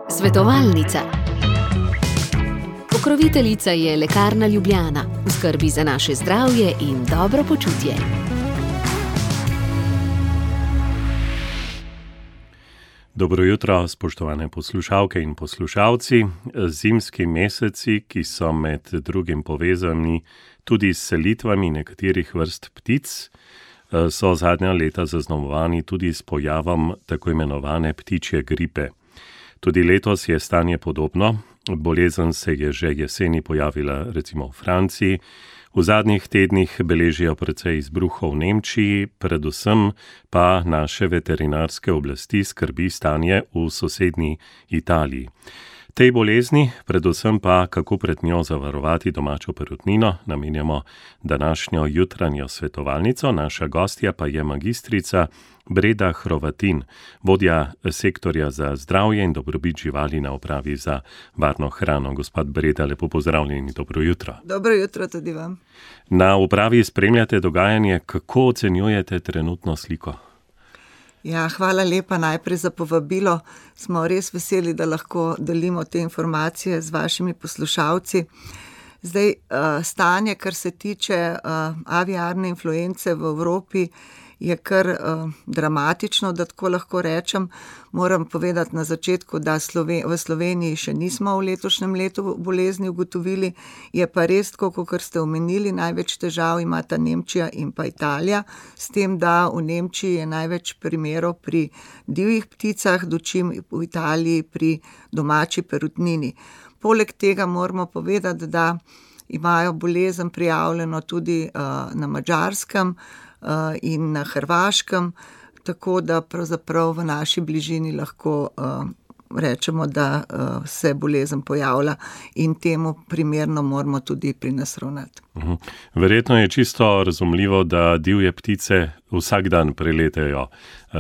Svetovalnica. Pokroviteljica je Lekarna Ljubljana, v skrbi za naše zdravje in dobro počutje. Dobro jutro, spoštovane poslušalke in poslušalci. Zimski meseci, ki so med drugim povezani tudi s selitvami nekaterih vrst ptic, so zadnja leta zaznamovani tudi s pojavom tako imenovane ptičje gripe. Tudi letos je stanje podobno. Bolezen se je že jeseni pojavila recimo v Franciji. V zadnjih tednih beležijo precej izbruhov v Nemčiji, predvsem pa naše veterinarske oblasti skrbi stanje v sosednji Italiji. Tej bolezni, predvsem pa kako pred njo zavarovati domačo perutnino, namenjamo današnjo jutranjo svetovalnico. Naša gostja pa je magistrica Breda Hrovatin, vodja sektorja za zdravje in dobrobit živali na Upravi za varno hrano. Gospod Breda, lepo pozdravljeni, dobro jutro. Dobro jutro tudi vam. Na upravi spremljate dogajanje, kako ocenjujete trenutno sliko? Ja, hvala lepa najprej za povabilo. Smo res veseli, da lahko delimo te informacije z vašimi poslušalci. Zdaj, stanje, kar se tiče aviarne influence v Evropi, je kar dramatično, da tako lahko rečem. Moram povedati na začetku, da v Sloveniji še nismo v letošnjem letu bolezni ugotovili. Je pa res, kot ste omenili, največ težav imata Nemčija in pa Italija, s tem, da v Nemčiji je največ primerov pri divjih pticah, dočim v Italiji pri domači perutnini. Poleg tega moramo povedati, da imajo bolezen prijavljeno tudi na Madžarskem in na Hrvaškem, tako da pravzaprav v naši bližini lahko rečemo, da se bolezen pojavlja in temu primerno moramo tudi pri nas ravnati. Verjetno je čisto razumljivo, da divje ptice vsak dan preletejo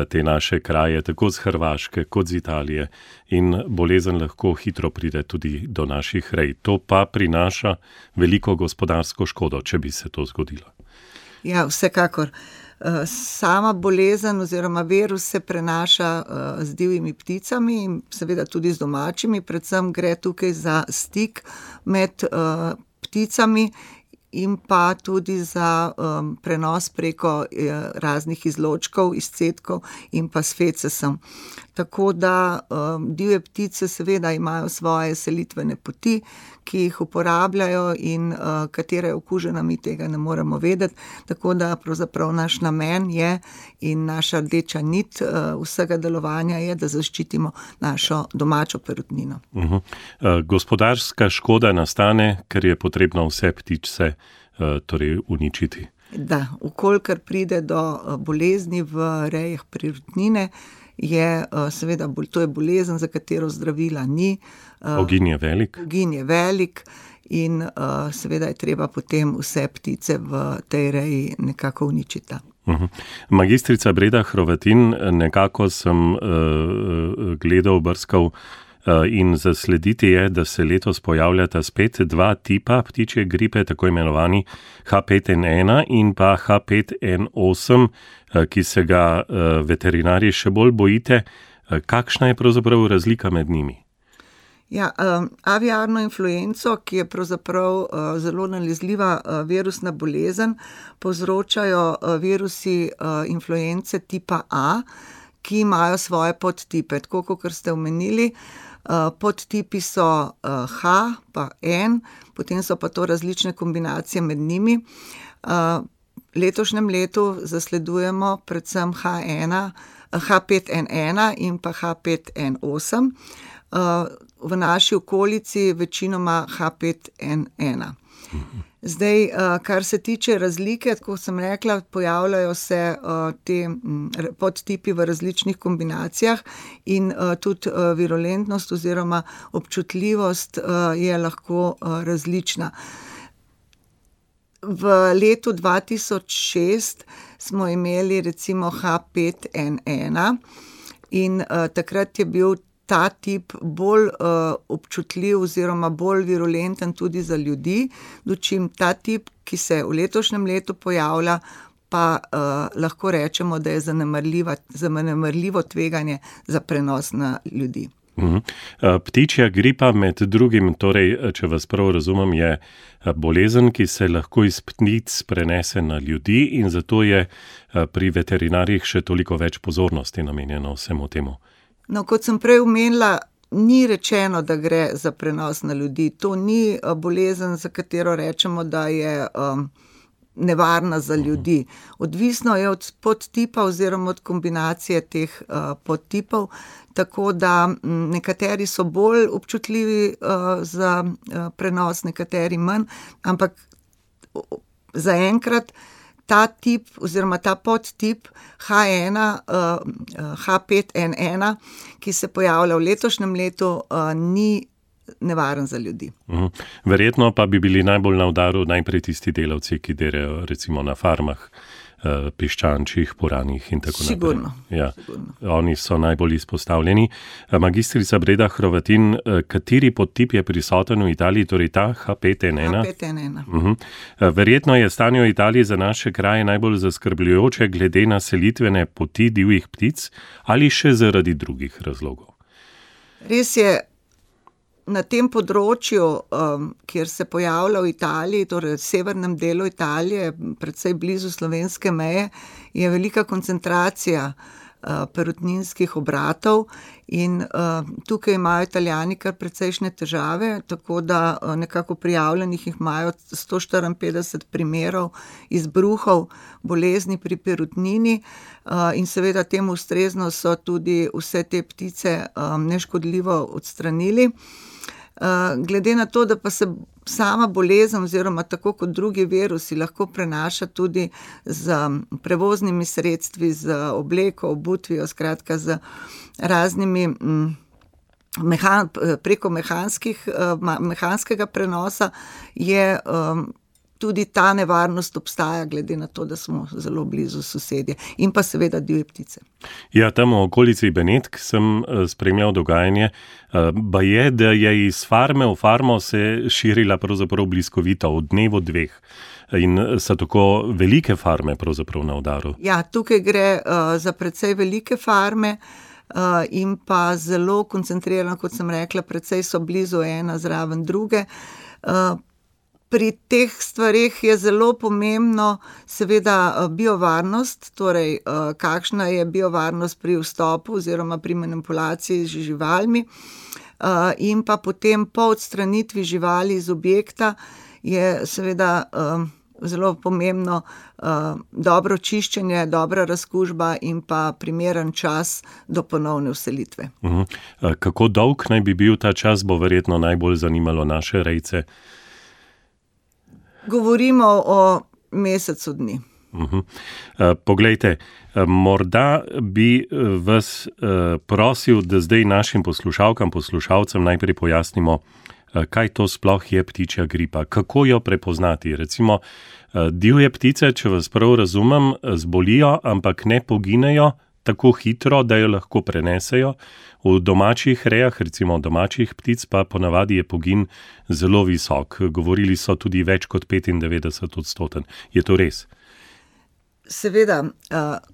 te naše kraje, tako z Hrvaške kot z Italije, in bolezen lahko hitro pride tudi do naših rej. To pa prinaša veliko gospodarsko škodo, če bi se to zgodilo. Ja, vsekakor. Sama bolezen oziroma virus se prenaša z divjimi pticami in seveda tudi z domačimi, predvsem gre tukaj za stik med pticami in pa tudi za prenos preko raznih izločkov, izcedkov in pa s fecesom. Tako da divje ptice seveda imajo svoje selitvene poti, ki jih uporabljajo in katera je okužena, mi tega ne moremo vedeti. Tako da pravzaprav naš namen je in naša rdeča nit vsega delovanja je, da zaščitimo našo domačo perutnino. Gospodarska škoda nastane, ker je potrebno vse ptice torej uničiti. Da, ukolikor pride do bolezni v rejah perutnine, je seveda, to je bolezen, za katero zdravila ni. Ogin je velik. Ogin je velik in seveda je treba potem vse ptice v tej reji nekako uničiti. Magistrica Breda Hrovatin, nekako sem gledal, brskal in zaslediti je, da se letos pojavljata spet dva tipa ptičje gripe, tako imenovani H5N1 in pa H5N8, ki se ga veterinarji še bolj bojite. Kakšna je pravzaprav razlika med njimi? Ja, aviarno influenco, ki je pravzaprav zelo nalezljiva virusna bolezen, povzročajo virusi influence tipa A, ki imajo svoje podtipe. Tako kot ste omenili, podtipi so H pa N, potem so pa to različne kombinacije med njimi. Letošnjem letu zasledujemo predvsem H5N1 in pa H5N8. V naši okolici večinoma H5N1. Zdaj, kar se tiče razlike, kot sem rekla, pojavljajo se te podtipi v različnih kombinacijah in tudi virulentnost oziroma občutljivost je lahko različna. V letu 2006 smo imeli recimo H5N1 in takrat je bil ta tip bolj občutljiv oziroma bolj virulenten tudi za ljudi, dočim ta tip, ki se v letošnjem letu pojavlja, pa lahko rečemo, da je zanemarljivo tveganje za prenos na ljudi. Ptičja gripa med drugim, torej, če vas prav razumem, je bolezen, ki se lahko iz ptic prenese na ljudi in zato je pri veterinarjih še toliko več pozornosti namenjeno vsemu temu. No, kot sem prej omenila, ni rečeno, da gre za prenos na ljudi. To ni bolezen, za katero rečemo, da je nevarna za ljudi. Odvisno je od podtipa oziroma od kombinacije teh podtipov, tako da nekateri so bolj občutljivi za prenos, nekateri manj, ampak zaenkrat ta tip oziroma ta podtip H5N1, ki se pojavlja v letošnjem letu, ni nevaren za ljudi. Verjetno pa bi bili najbolj na udaru najprej tisti delavci, ki delajo recimo na farmah, piščančjih, puranih in tako naprej. Sigurno. Ja, oni so najbolj izpostavljeni. Magistrica Breda Hrovatin, kateri podtip je prisoten v Italiji, torej ta H5N1? H5N1. Verjetno je stanje v Italiji za naše kraje najbolj zaskrbljujoče glede na selitvene poti divjih ptic ali še zaradi drugih razlogov? Res je, na tem področju, kjer se pojavlja v Italiji, torej v severnem delu Italije, predvsej blizu slovenske meje, je velika koncentracija perutninskih obratov in tukaj imajo Italijani kar precejšnje težave, tako da nekako prijavljenih jih imajo 154 primerov izbruhov bolezni pri perutnini in seveda temu ustrezno so tudi vse te ptice neškodljivo odstranili. Glede na to, da pa se sama bolezen oziroma tako kot drugi virusi lahko prenaša tudi z prevoznimi sredstvi, z obleko, obutvijo, skratka z raznimi preko mehanskega prenosa, je tudi ta nevarnost obstaja, glede na to, da smo zelo blizu sosedje in pa seveda divje ptice. Ja, tam v okolici Benetk sem spremljal dogajanje, baje, da je iz farme v farmo se širila pravzaprav bliskovita v dnevu dveh in so tako velike farme pravzaprav na udaru. Ja, tukaj gre za precej velike farme in pa zelo koncentrirano, kot sem rekla, precej so blizu ena zraven druge. Pri teh stvareh je zelo pomembno seveda biovarnost, torej kakšna je biovarnost pri vstopu oziroma pri manipulaciji z živalmi in pa potem po odstranitvi živali iz objekta je seveda zelo pomembno dobro čiščenje, dobra razkužba in pa primeren čas do ponovne vselitve. Kako dolg naj bi bil ta čas, bo verjetno najbolj zanimalo naše rejce? Govorimo o mesecu dni. Poglejte, morda bi vas prosil, da zdaj našim poslušalcem najprej pojasnimo, kaj to sploh je ptičja gripa, kako jo prepoznati. Recimo, divje ptice, če vas prav razumem, zbolijo, ampak ne poginejo tako hitro, da jo lahko prenesejo. V domačih rejah, recimo domačih ptic, pa ponavadi je pogin zelo visok. Govorili so tudi več kot 95%. Je to res? Seveda,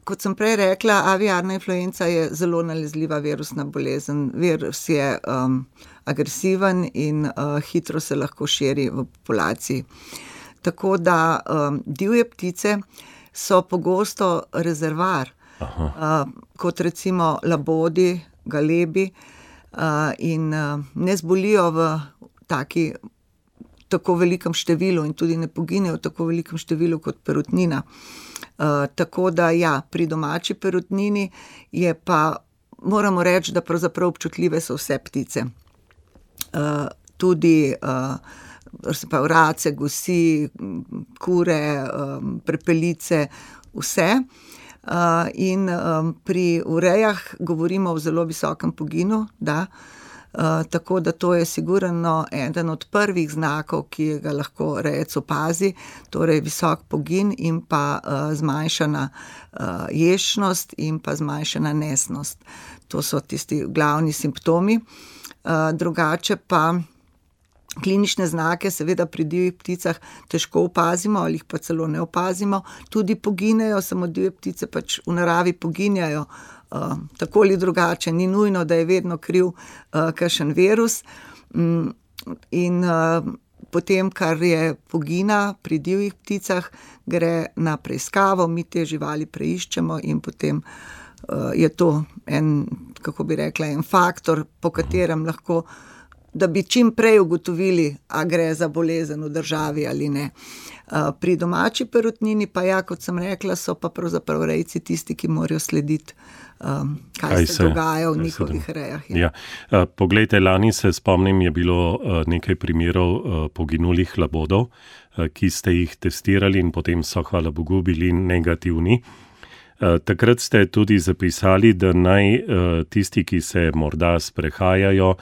kot sem prej rekla, aviarna influenca je zelo nalezljiva virusna bolezen. Virus je agresiven in hitro se lahko širi v populaciji. Tako da divje ptice so pogosto rezervar, kot recimo labodi, galebi in ne zbolijo v tako velikem številu in tudi ne poginejo v tako velikem številu kot perutnina. Tako da ja, pri domači perutnini je pa, moramo reči, da pravzaprav občutljive so vse ptice. Tudi race, gosi, kure, prepelice, vse. In pri urejah govorimo o zelo visokem poginu, da, tako da to je sigurno eden od prvih znakov, ki ga lahko rejec opazi, torej visok pogin in pa zmanjšana ješnost in pa zmanjšana nesnost. To so tisti glavni simptomi. Drugače pa klinične znake seveda pri divjih pticah težko opazimo ali jih pa celo ne opazimo, tudi poginejo, samo divje ptice pač v naravi poginjajo tako ali drugače, ni nujno, da je vedno kriv kakšen virus. In potem, kar je pogina pri divjih pticah, gre na preiskavo, mi te živali preiščemo in potem je to en, kako bi rekla, en faktor, po katerem lahko, da bi čim prej ugotovili, a gre za bolezen v državi ali ne. Pri domači perutnini pa ja, kot sem rekla, so pa pravzaprav rejci tisti, ki morajo slediti, kaj se dogaja v njihovih rejah. Ja. Poglejte, lani se spomnim, je bilo nekaj primerov poginulih labodov, ki ste jih testirali in potem so, hvala Bogu, bili negativni. Takrat ste tudi zapisali, da naj tisti, ki se morda sprehajajo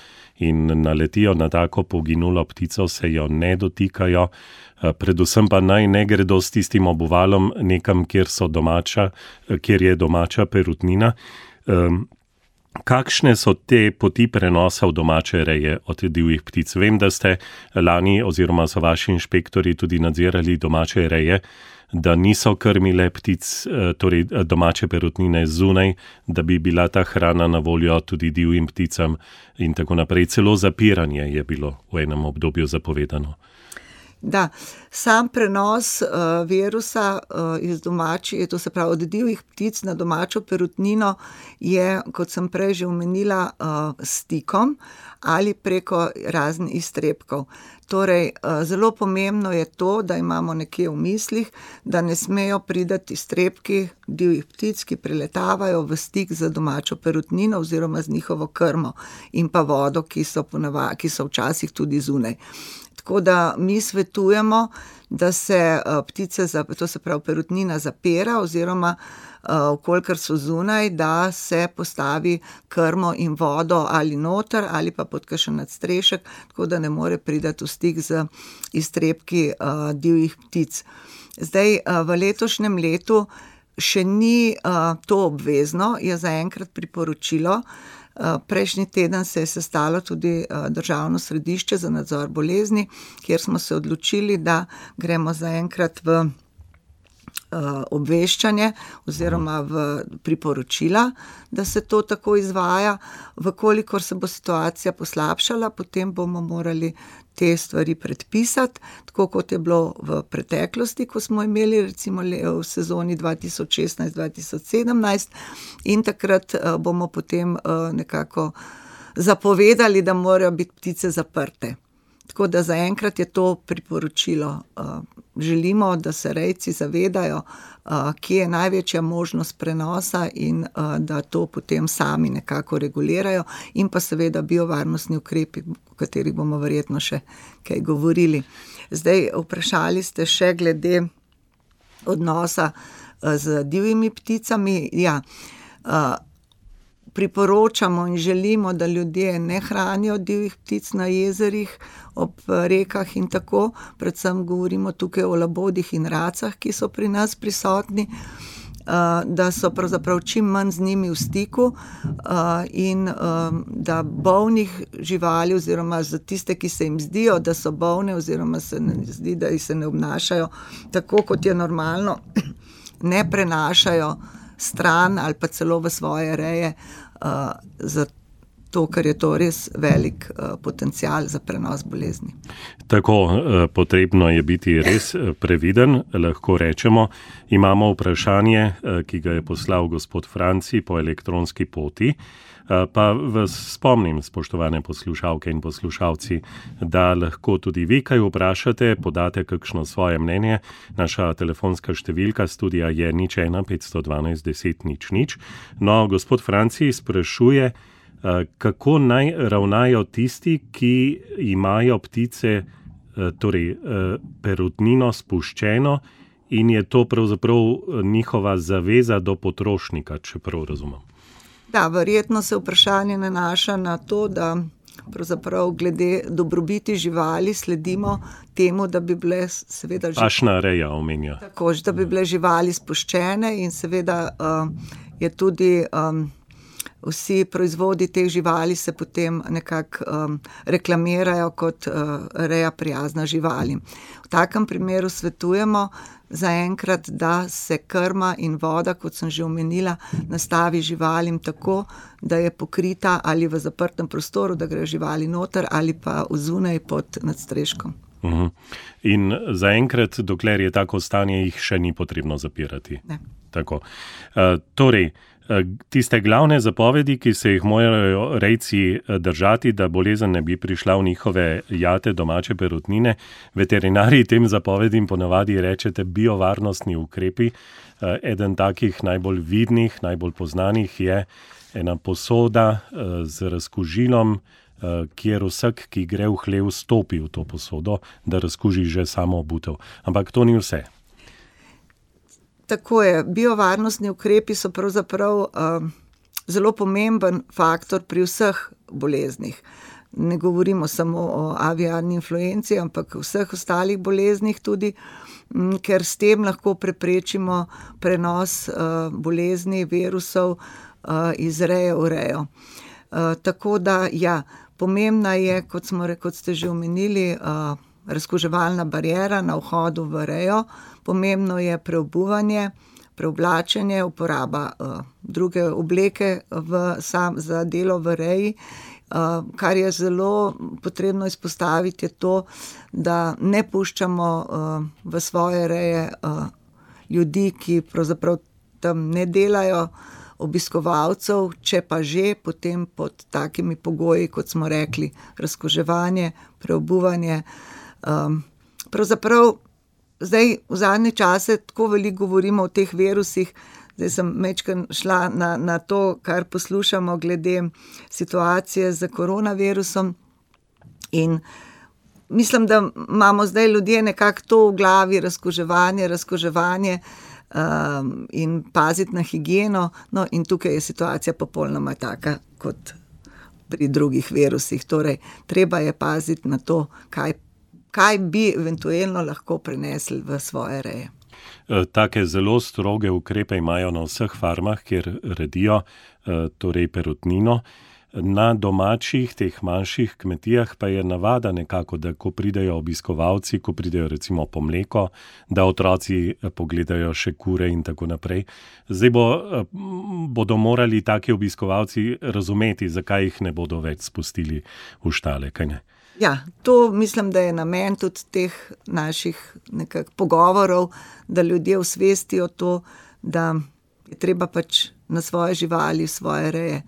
in naletijo na tako poginulo ptico, se jo ne dotikajo, predvsem pa naj ne gredo s tistim obuvalom nekam, kjer je domača perutnina. Kakšne so te poti prenosa v domače reje od divjih ptic? Vem, da ste lani oziroma so vaši inšpektori tudi nadzirali domače reje, da niso krmile ptic, torej domače perutnine zunaj, da bi bila ta hrana na voljo tudi divjim pticam in tako naprej. Celo zapiranje je bilo v enem obdobju zapovedano. Da, sam prenos virusa iz domači, to se pravi od divjih ptic na domačo perutnino, je, kot sem prej že omenila, stikom ali preko raznih iztrebkov. Torej, zelo pomembno je to, da imamo nekje v mislih, da ne smejo priti iztrebki divjih ptic, ki priletavajo v stik z domačo perutnino oziroma z njihovo krmo in pa vodo, ki so včasih tudi zunaj. Tako da mi svetujemo, da se ptice, to se pravi perutnina, zapira oziroma vkolikor so zunaj, da se postavi krmo in vodo ali noter ali pa pod kakšen nadstrešek, tako da ne more priti v stik z iztrebki divjih ptic. Zdaj, v letošnjem letu še ni to obvezno, je zaenkrat priporočilo. Prejšnji teden se je sestalo tudi Državno središče za nadzor bolezni, kjer smo se odločili, da gremo zaenkrat v obveščanje oziroma v priporočila, da se to tako izvaja. Vkolikor se bo situacija poslabšala, potem bomo morali te stvari predpisati, tako kot je bilo v preteklosti, ko smo imeli recimo v sezoni 2016-2017 in takrat bomo potem nekako zapovedali, da morajo biti ptice zaprte. Tako da zaenkrat je to priporočilo. Želimo, da se rejci zavedajo, kje je največja možnost prenosa in da to potem sami nekako regulirajo in pa seveda biovarnostni ukrepi, o katerih bomo verjetno še kaj govorili. Zdaj, vprašali ste še glede odnosa z divjimi pticami. Ja, priporočamo in želimo, da ljudje ne hranijo divjih ptic na jezerih, ob rekah in tako. Predvsem govorimo tukaj o labodih in racah, ki so pri nas prisotni, da so pravzaprav čim manj z njimi v stiku in da bolnih živali oziroma za tiste, ki se jim zdijo, da so bolne oziroma se ne zdi, da se ne obnašajo tako, kot je normalno, ne prenašajo stran ali pa celo v svoje reje, zato, ker je to res velik potencial za prenos bolezni. Tako, potrebno je biti res previden, lahko rečemo. Imamo vprašanje, ki ga je poslal gospod Franci po elektronski poti. Pa vas spomnim, spoštovane poslušalke in poslušalci, da lahko tudi vi kaj vprašate, podate kakšno svoje mnenje. Naša telefonska številka studija je 01 512 10 00. No, gospod Franci sprašuje, kako naj ravnajo tisti, ki imajo ptice, torej perutnino spuščeno in je to pravzaprav njihova zaveza do potrošnika, če prav razumem. Da, verjetno se vprašanje nanaša na to, da pravzaprav glede dobrobiti živali sledimo temu, da bi bile seveda pašna reja omenja. Tako, da bi bile živali spuščene in seveda je tudi vsi proizvodi teh živali se potem nekako reklamirajo kot reja prijazna živalim. V takem primeru svetujemo zaenkrat, da se krma in voda, kot sem že omenila, nastavi živalim tako, da je pokrita ali v zaprtem prostoru, da grejo živali noter ali pa zunaj pod nadstreškom. In zaenkrat, dokler je tako stanje, jih še ni potrebno zapirati. Ne. Tako. Torej, tiste glavne zapovedi, ki se jih morajo rejci držati, da bolezen ne bi prišla v njihove jate domače perutnine, veterinarji tem zapovedim ponavadi rečete biovarnostni ukrepi. Eden takih najbolj vidnih, najbolj poznanih je ena posoda z razkužilom, kjer vsak, ki gre v hlev, stopi v to posodo, da razkuži že samo obutev. Ampak to ni vse. Tako je. Biovarnostni ukrepi so pravzaprav zelo pomemben faktor pri vseh boleznih. Ne govorimo samo o aviarni influenci, ampak vseh ostalih boleznih tudi, ker s tem lahko preprečimo prenos bolezni, virusov iz reje v rejo. Tako da, ja, pomembna je, kot ste že omenili, razkuževalna bariera na vhodu v rejo, pomembno je preobuvanje, preoblačenje, uporaba druge obleke za delo v reji. Kar je zelo potrebno izpostaviti, je to, da ne puščamo v svoje reje ljudi, ki pravzaprav tam ne delajo, obiskovalcev, če pa že, potem pod takimi pogoji, kot smo rekli, razkuževanje, preobuvanje. Pravzaprav zdaj v zadnje čase tako veliko govorimo o teh virusih, zdaj sem majčkeno šla na to, kar poslušamo glede situacije z koronavirusom in mislim, da imamo zdaj ljudje nekako to v glavi, razkuževanje in paziti na higieno, no in tukaj je situacija popolnoma taka kot pri drugih virusih, torej treba je paziti na to, kaj bi eventualno lahko prenesli v svoje reje. Take zelo stroge ukrepe imajo na vseh farmah, kjer redijo, torej perutnino. Na domačih, teh manjših kmetijah pa je navada nekako, da ko pridejo obiskovalci, ko pridejo recimo po mleko, da otroci pogledajo še kure in tako naprej. Zdaj bodo morali taki obiskovalci razumeti, zakaj jih ne bodo več spustili v štale, kaj ne? Ja, to mislim, da je namen tudi teh naših nekako pogovorov, da ljudje osvestijo to, da je treba pač na svoje živali, svoje reje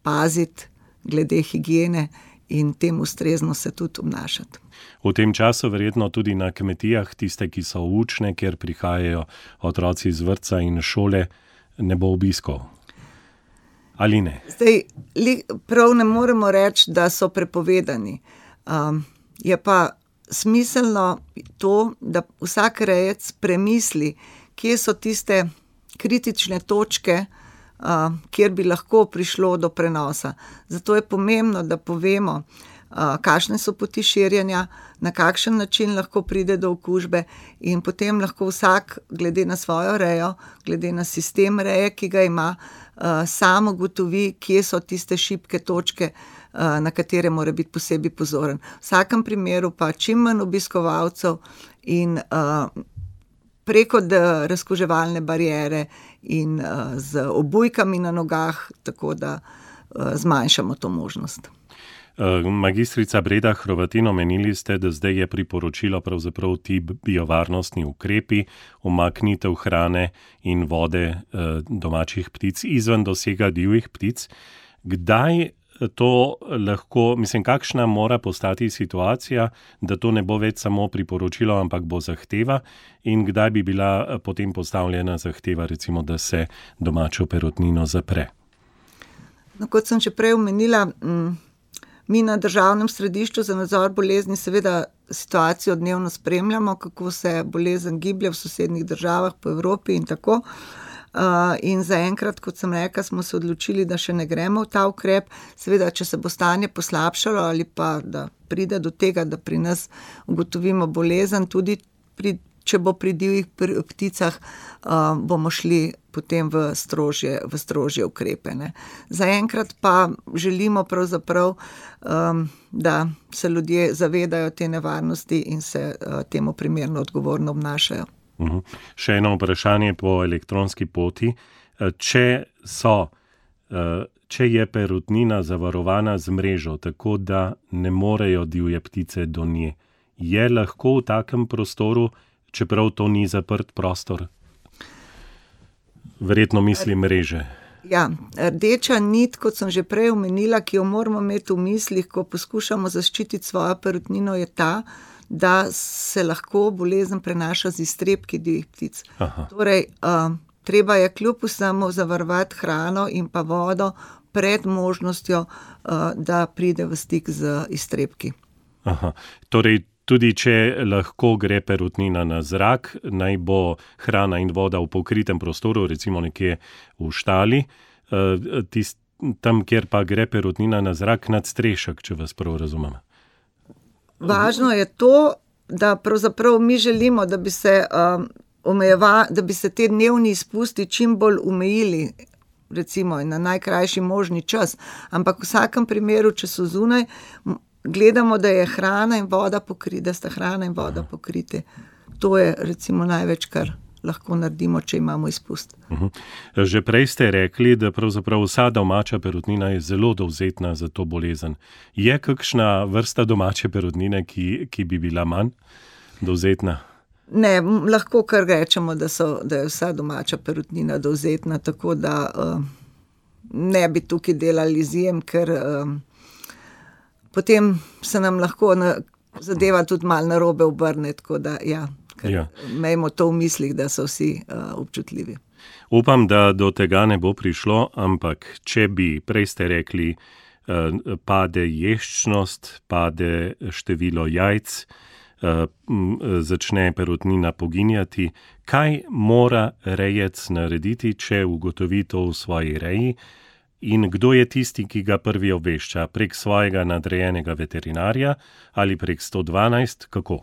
paziti glede higiene in tem ustrezno se tudi obnašati. V tem času verjetno tudi na kmetijah, tiste, ki so učne, kjer prihajajo otroci iz vrtca in šole, ne bo obiskov. Ali ne? Zdaj, prav ne moremo reči, da so prepovedani. Je pa smiselno to, da vsak rejec premisli, kje so tiste kritične točke, kjer bi lahko prišlo do prenosa. Zato je pomembno, da povemo, kakšne so poti širjenja, na kakšen način lahko pride do okužbe in potem lahko vsak, glede na svojo rejo, glede na sistem reje, ki ga ima, sam ugotovi, kje so tiste šibke točke, na katere mora biti posebej pozoren. V vsakem primeru pa čim manj obiskovalcev in preko razkuževalne bariere in z obujkami na nogah, tako da zmanjšamo to možnost. Magistrica Breda Hrovatin, omenili ste, da zdaj je priporočilo pravzaprav ti biovarnostni ukrepi, umaknitev hrane in vode domačih ptic izven dosega divjih ptic. Kdaj to lahko, kakšna mora postati situacija, da to ne bo več samo priporočilo, ampak bo zahteva in kdaj bi bila potem postavljena zahteva, recimo, da se domačo perutnino zapre? No, kot sem že prej omenila, mi na Državnem središču za nadzor bolezni seveda situacijo dnevno spremljamo, kako se bolezen giblje v sosednjih državah po Evropi in tako. In zaenkrat, kot sem rekla, smo se odločili, da še ne gremo v ta ukrep. Seveda, če se bo stanje poslabšalo ali pa da pride do tega, da pri nas ugotovimo bolezen, tudi pri če bo pri divjih pticah, bomo šli potem v strožje ukrepe, ne. Zaenkrat pa želimo pravzaprav, da se ljudje zavedajo te nevarnosti in se temu primerno odgovorno obnašajo. Še eno vprašanje po elektronski poti. Če je perutnina zavarovana z mrežo, tako da ne morejo divje ptice do nje, je lahko v takem prostoru, čeprav to ni zaprt prostor? Verjetno mislim mreže. Ja, rdeča nit, kot sem že prej omenila, ki jo moramo imeti v mislih, ko poskušamo zaščititi svojo perutnino, je ta, da se lahko bolezen prenaša z iztrebki divjih ptic. Torej, treba je kljub vsemu zavarovati hrano in pa vodo pred možnostjo, da pride v stik z iztrebki. Torej, tudi če lahko gre perutnina na zrak, naj bo hrana in voda v pokritem prostoru, recimo nekje v štali, tam, kjer pa gre perutnina na zrak, nadstrešek, če vas prav razumem. Važno je to, da pravzaprav mi želimo, da bi se te dnevni izpusti čim bolj omejili, recimo na najkrajši možni čas, ampak v vsakem primeru, če so zunaj, gledamo, da je hrana in voda pokrite. To je recimo največ, kar lahko naredimo, če imamo izpust. Že prej ste rekli, da pravzaprav vsa domača perutnina je zelo dovzetna za to bolezen. Je kakšna vrsta domače perutnine, ki bi bila manj dovzetna? Ne, lahko kar rečemo, da je vsa domača perutnina dovzetna, tako da ne bi tukaj delali izjem, ker potem se nam lahko zadeva tudi malo narobe obrne, tako da imejmo to v mislih, da so vsi občutljivi. Upam, da do tega ne bo prišlo, ampak če bi, prej ste rekli, pade ješčnost, pade število jajc, začne perutnina poginjati, kaj mora rejec narediti, če ugotovi to v svoji reji? In kdo je tisti, ki ga prvi obvešča? Prek svojega nadrejenega veterinarja ali prek 112? Kako?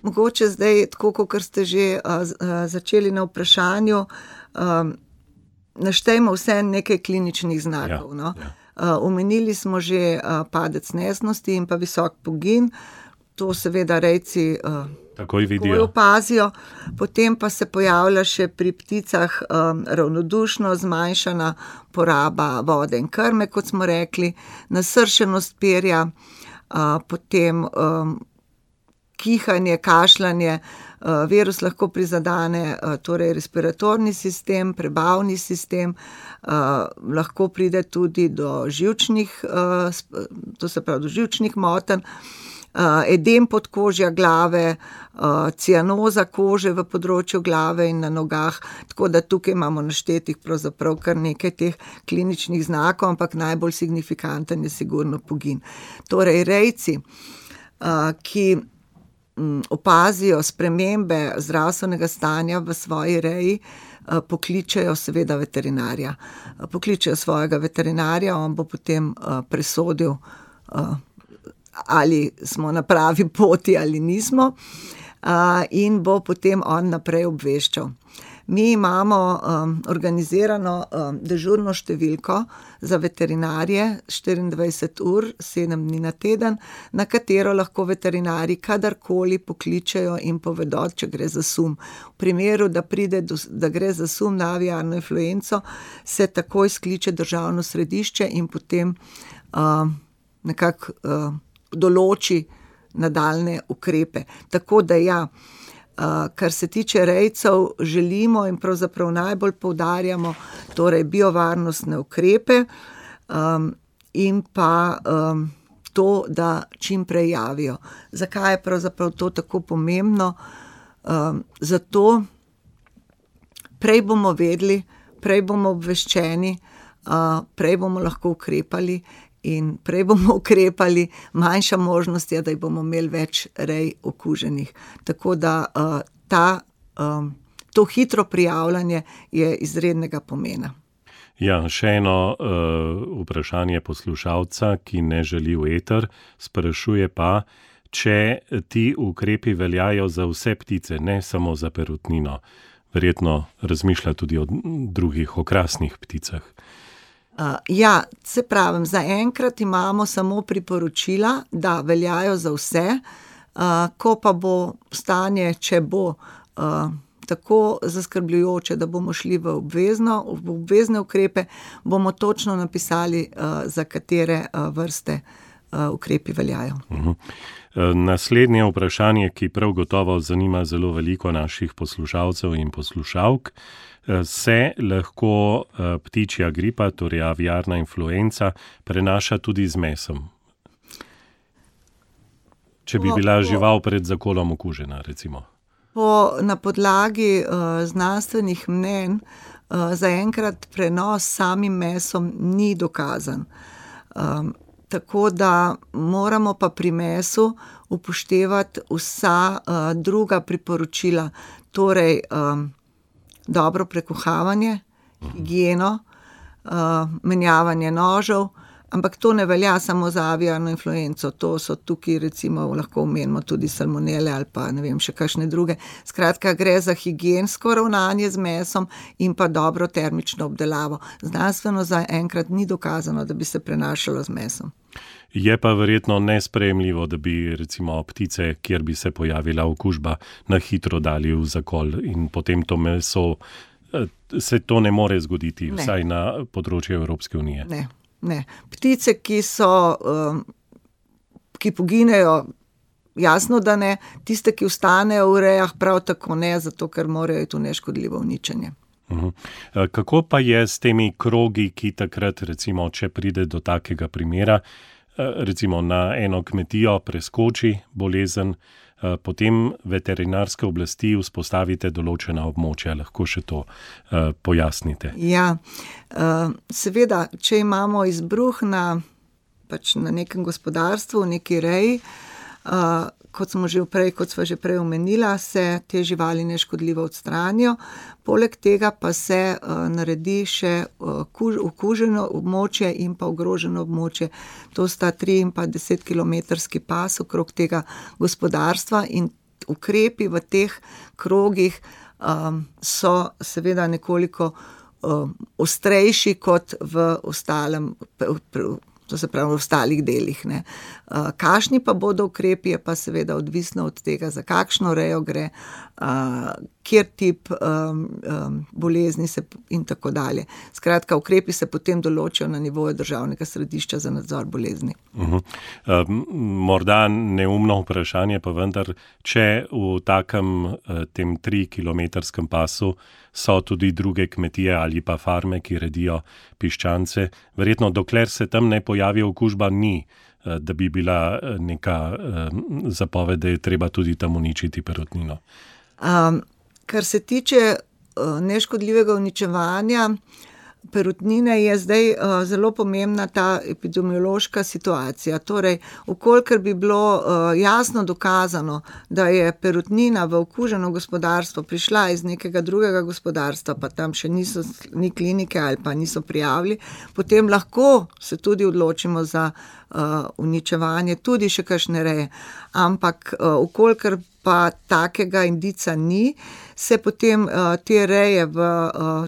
Mogoče zdaj, tako kot ste že začeli na vprašanju, naštejmo vse nekaj kliničnih znakov. Omenili smo že padec nesnosti in pa visok pogin. To seveda rejci takoj opazijo. Potem pa se pojavlja še pri pticah ravnodušno zmanjšana poraba vode in krme, kot smo rekli, nasršenost perja, potem kihanje, kašljanje, virus lahko prizadene, torej respiratorni sistem, prebavni sistem, lahko pride tudi do živčnih, to se pravi do živčnih motenj, edem podkožja glave, cianoza kože v področju glave in na nogah, tako da tukaj imamo naštetih pravzaprav kar nekaj teh kliničnih znakov, ampak najbolj signifikanten je sigurno pogin. Torej rejci, ki opazijo spremembe zdravstvenega stanja v svoji reji, pokličejo seveda veterinarja. Pokličejo svojega veterinarja, on bo potem presodil, ali smo na pravi poti ali nismo, in bo potem on naprej obveščal. Mi imamo organizirano dežurno številko za veterinarje 24 ur, 7 dni na teden, na katero lahko veterinarji kadarkoli pokličejo in povedo, če gre za sum. V primeru, da gre za sum na aviarno influenco, se takoj skliče državno središče in potem nekako določi nadaljnje ukrepe. Tako da kar se tiče rejcev, želimo in pravzaprav najbolj poudarjamo torej biovarnostne ukrepe in pa to, da čim prej javijo. Zakaj je pravzaprav to tako pomembno? Zato prej bomo vedeli, prej bomo obveščeni, prej bomo lahko ukrepali in prej bomo ukrepali, manjša možnost je, da jih bomo imeli več rej okuženih. Tako da to hitro prijavljanje je izrednega pomena. Ja, še eno vprašanje poslušalca, ki ne želi v eter, sprašuje pa, če ti ukrepi veljajo za vse ptice, ne samo za perutnino. Verjetno razmišlja tudi o drugih okrasnih pticah. Ja, se pravim, zaenkrat imamo samo priporočila, da veljajo za vse, ko pa bo stanje, če bo tako zaskrbljujoče, da bomo šli v obvezne ukrepe, bomo točno napisali, za katere vrste ukrepi veljajo. Naslednje vprašanje, ki prav gotovo zanima zelo veliko naših poslušalcev in poslušalk. Se lahko ptičja gripa, torej aviarna influenca, prenaša tudi z mesom? Če bi bila žival pred zakolom okužena, recimo. Na podlagi znanstvenih mnenj zaenkrat prenos s samim mesom ni dokazan. Tako da moramo pa pri mesu upoštevati vsa druga priporočila, torej dobro prekuhavanje, higieno, menjavanje nožev, ampak to ne velja samo za aviarno influenco, to so tukaj recimo lahko omenimo tudi salmonele ali pa ne vem še kakšne druge. Skratka, gre za higiensko ravnanje z mesom in pa dobro termično obdelavo. Znanstveno zaenkrat ni dokazano, da bi se prenašalo z mesom. Je pa verjetno nesprejemljivo, da bi recimo ptice, kjer bi se pojavila okužba, na hitro dali v zakol in potem to meso, se to ne more zgoditi, vsaj na področju Evropske unije. Ne. Ptice, ki poginejo, jasno, da ne. Tiste, ki ostanejo v rejah, prav tako ne, zato ker morajo iti v neškodljivo uničenje. Kako pa je s temi krogi, ki takrat, recimo, če pride do takega primera, recimo na eno kmetijo preskoči bolezen, potem veterinarske oblasti vzpostavite določena območja, lahko še to pojasnite. Ja, seveda, če imamo izbruh na nekem gospodarstvu, v neki reji, kot sva že prej omenila, se te živali neškodljivo odstranijo. Poleg tega pa se naredi še okuženo območje in pa ogroženo območje. To sta 3 in pa 10 kilometrski pas okrog tega gospodarstva in ukrepi v teh krogih so seveda nekoliko ostrejši kot v ostalem, to se pravi v ostalih delih. Kakšni pa bodo ukrepi, je pa seveda odvisno od tega, za kakšno rejo gre, kjer tip bolezni se in tako dalje. Skratka, ukrepi se potem določijo na nivoju Državnega središča za nadzor bolezni. Morda neumno vprašanje, pa vendar, če v takem tem 3-kilometrskem pasu so tudi druge kmetije ali pa farme, ki redijo piščance, verjetno dokler se tam ne pojavi okužba, ni, da bi bila neka zapoved, da je treba tudi tam uničiti perutnino. Kar se tiče neškodljivega uničevanja perutnine, je zdaj zelo pomembna ta epidemiološka situacija. Torej, vkolikor bi bilo jasno dokazano, da je perutnina v okuženo gospodarstvo prišla iz nekega drugega gospodarstva, pa tam še ni klinike ali pa niso prijavili, potem lahko se tudi odločimo za uničevanje tudi še kakšne reje. Ampak vkolikor pa takega indica ni, se potem te reje v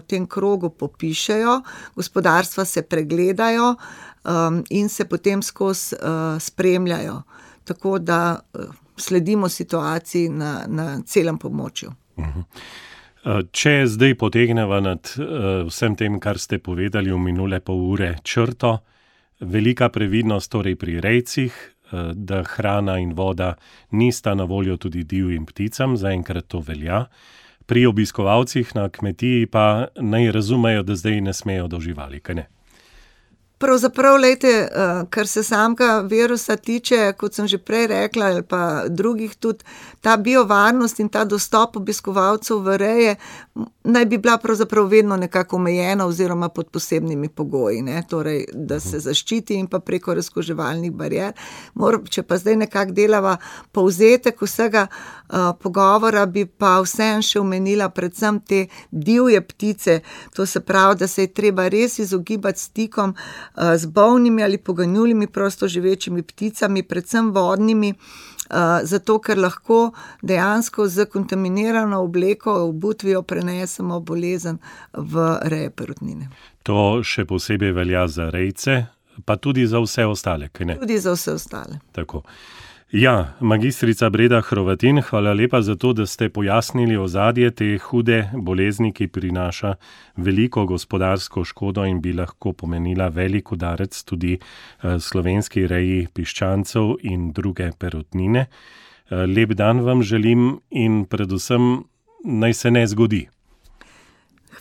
tem krogu popišejo, gospodarstva se pregledajo in se potem skozi spremljajo. Tako da sledimo situaciji na celem območju. Če zdaj potegneva nad vsem tem, kar ste povedali v minule pol ure, črto, velika previdnost torej pri rejcih, da hrana in voda nista na voljo tudi divjim pticam, zaenkrat to velja. Pri obiskovalcih na kmetiji pa naj razumejo, da zdaj ne smejo do živali, kaj ne? Pravzaprav, kar se samega virusa tiče, kot sem že prej rekla, ali pa drugih tudi, ta biovarnost in ta dostop obiskovalcev v reje naj bi bila pravzaprav vedno nekako omejena oziroma pod posebnimi pogoji, torej, da se zaščiti in pa preko razkuževalnih barier. Če pa zdaj nekako delava povzetek vsega pogovora, bi pa vseeno še omenila predvsem te divje ptice, to se pravi, da se je treba res izogibati stikom z bolnimi ali poganjulimi prostoživečimi pticami, predvsem vodnimi, zato ker lahko dejansko z kontaminirano obleko, obutvijo prenesemo bolezen v reje perutnine. To še posebej velja za rejce, pa tudi za vse ostale, kaj ne? Tudi za vse ostale. Tako. Ja, magistrica Breda Hrovatin, hvala lepa za to, da ste pojasnili ozadje te hude bolezni, ki prinaša veliko gospodarsko škodo in bi lahko pomenila velik udarec tudi slovenski reji piščancev in druge perutnine. Lep dan vam želim in predvsem naj se ne zgodi.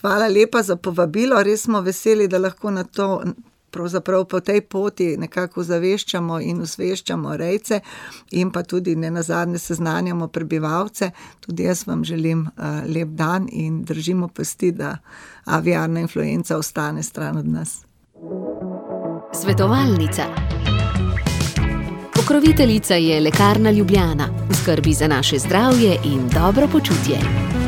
Hvala lepa za povabilo, res smo veseli, da lahko na to pravzaprav po tej poti nekako zaveščamo in osveščamo rejce in pa tudi nenazadnje seznanjamo prebivalce. Tudi jaz vam želim lep dan in držimo pesti, da aviarna influenca ostane stran od nas. Svetovalnica. Pokroviteljica je Lekarna Ljubljana, v skrbi za naše zdravje in dobro počutje.